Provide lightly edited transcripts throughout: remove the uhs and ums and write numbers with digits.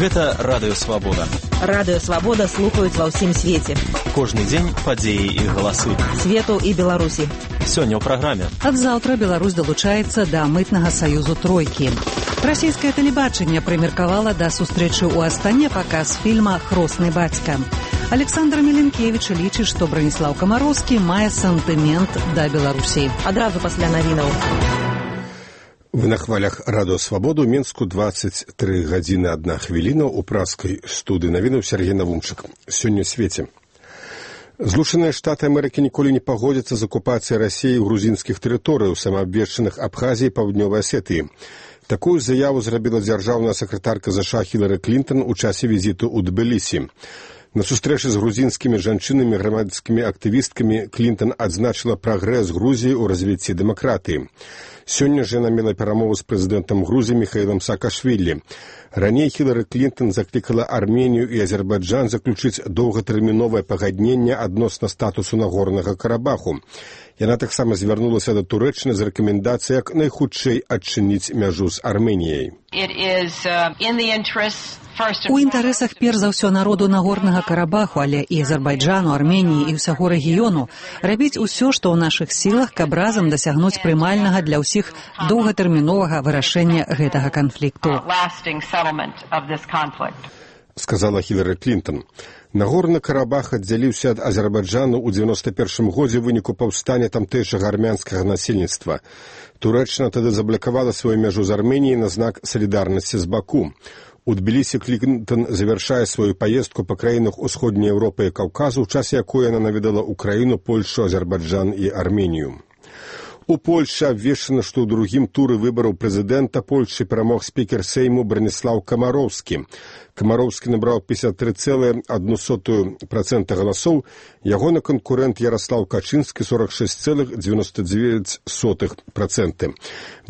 Гэта Радыё Свабода. Радыё Свабода слухаюць ва ўсім свеце. Кожны дзень падзеі і галасы. Свету і Беларусі. Сёння ў праграме. Ад заўтра Беларусь далучаецца да мытнага саюзу тройкі. Расійскае тэлебачанне прымеркавала да сустрэчы ў Астане паказ фільма «Хросны бацька». Александр Меленкевич лічыць, што Браніслаў Камароўскі мае сантымент да Беларусі. Адразу пасля навінаў. Вы на хвалях Радыё Свабоду, Менску 23 гадзіны 1 хвіліна, у праскай студыі навінаў Сергей Навумчык. Сёння ў свеце. Злучаныя Штаты Амерыкі ніколі не пагодзяцца з акупацыяй Расіі грузінскіх тэрыторыяў, самаабвешчаных Абхазіі і Паўднёвай Асетыі. Такую заяву зрабіла дзяржаўная сакратарка ЗША Хілары Клінтон у часе візіту ў Тбілісі. На сустрэчы з грузінскімі жанчынамі, грамадскімі актывісткамі Клінтон адзначыла прагрэс Грузіі ў развіцці дэмакратыі. Сёння ж яна мела перамову з прэзідэнтам Грузіі Міхаілам Саакашвілі. Раней Хілары Клінтон заклікала Арменію і Азербайджан заключыць доўгатэрміновае пагадненне адносна статусу Нагорнага Карабаху. Яна таксама звярнулася да Турэччыны з рэкамендацыяй як найхутчэй адчыніць мяжу з Арменіяй. У інтарэсах перш за ўсё народу Нагорнага Карабаху, але і Азербайджану, Арменіі і ўсяго рэгіёну рабіць усё, што ў нашых сілах, каб разам дасягнуць прымальнага для ўсіх доўгатэрміновага вырашэння гэтага канфлікту. Сказала Хілары Клінтон. Нагорны Карабах аддзяліўся ад Азербайджану ў 91 годзе ў выніку паўстання тамтэйшага армянскага насельніцтва. Турэччына тады заблакавала сваю мяжу з Арменіяй на знак салідарнасці з Баку. У Тбілісі Клінтон завяршае сваю паездку па краінах Усходняй Еўропы і Каўказу, у часе якой яна наведала Украіну, Польшу, Азербайджан і Арменію. У Польшы абвешчана, што ў другім туры выбараў прэзідэнта Польшы перамог спікер Сейму Браніслаў Камароўскі. Камароўскі набраў 53,1% галасоў, ягоны канкурэнт Яраслаў Качынскі 46,99%.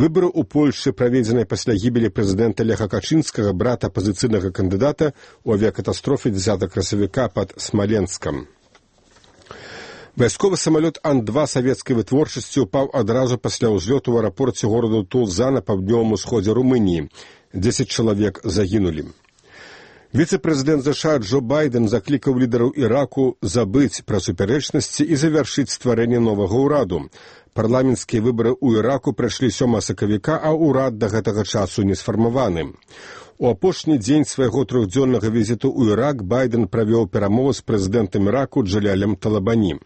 Выбары ў Польшы праведзеныя пасля гібелі прэзідэнта Леха Качынскага, брата апазіцыйнага кандыдата, у авіякатастрофе 10 красавіка пад Смаленскам. Вайсковы самалёт Ан-2 савецкай вытворчасці ўпаў адразу пасля ўзлёту ў аэрапорце гораду Тулза на паўднёвым усходзе Румыніі. 10 чалавек загінулі. Віцэ-прэзідэнт ЗША Джо Байден заклікаў лідараў Іраку забыць пра супярэчнасці і завяршыць стварэнне новага ўраду. Парламенцкія выбары ў Іраку прайшлі 7 сакавіка, а ўрад да гэтага часу не сфармаваны. У апошні дзень свайго трохдзённага візіту ў Ірак Байден правёў перамову з прэзідэнтам Іраку Джалялем Талабані.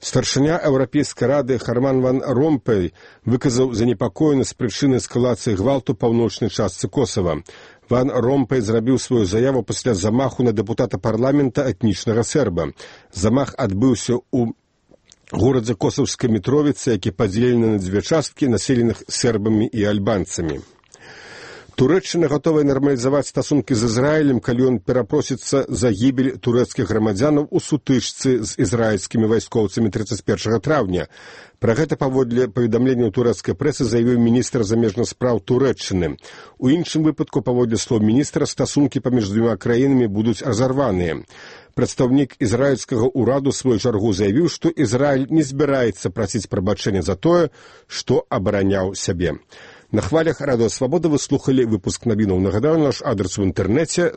Старшыня Еўрапейскай рады Харман ван Ромпэй выказаў занепакоенасць з прычыны эскалацыі гвалту паўночнай частцы Косава. Ван Ромпэй зрабіў сваю заяву пасля замаху на дэпутата парламента этнічнага серба. Замах адбыўся ў горадзе Косаўскай Мітровіцы, які падзелены на дзве часткі, населеных сербамі і альбанцамі. Турэччына гатовая нармалізаваць стасункі з Ізраілем, калі ён перапросіцца за гібель турэцкіх грамадзянаў у сутычцы з ізраільскімі вайскоўцамі 31 траўня. Пра гэта паводле паведамлення турэцкай прэсы заявіў міністр замежных спраў Турэччыны. У іншым выпадку, паводле слоў міністра, стасункі паміж двума краінамі будуць разарваныя. Прадстаўнік ізраільскага ўраду свою чаргу заявіў, што Ізраіль не збіраецца прасіць прабачэння за тое, што абараняў сябе. На хвалях Радыё Свабода вы слухалі выпуск навінаў. Нагадаю, наш адрес у інтэрнэце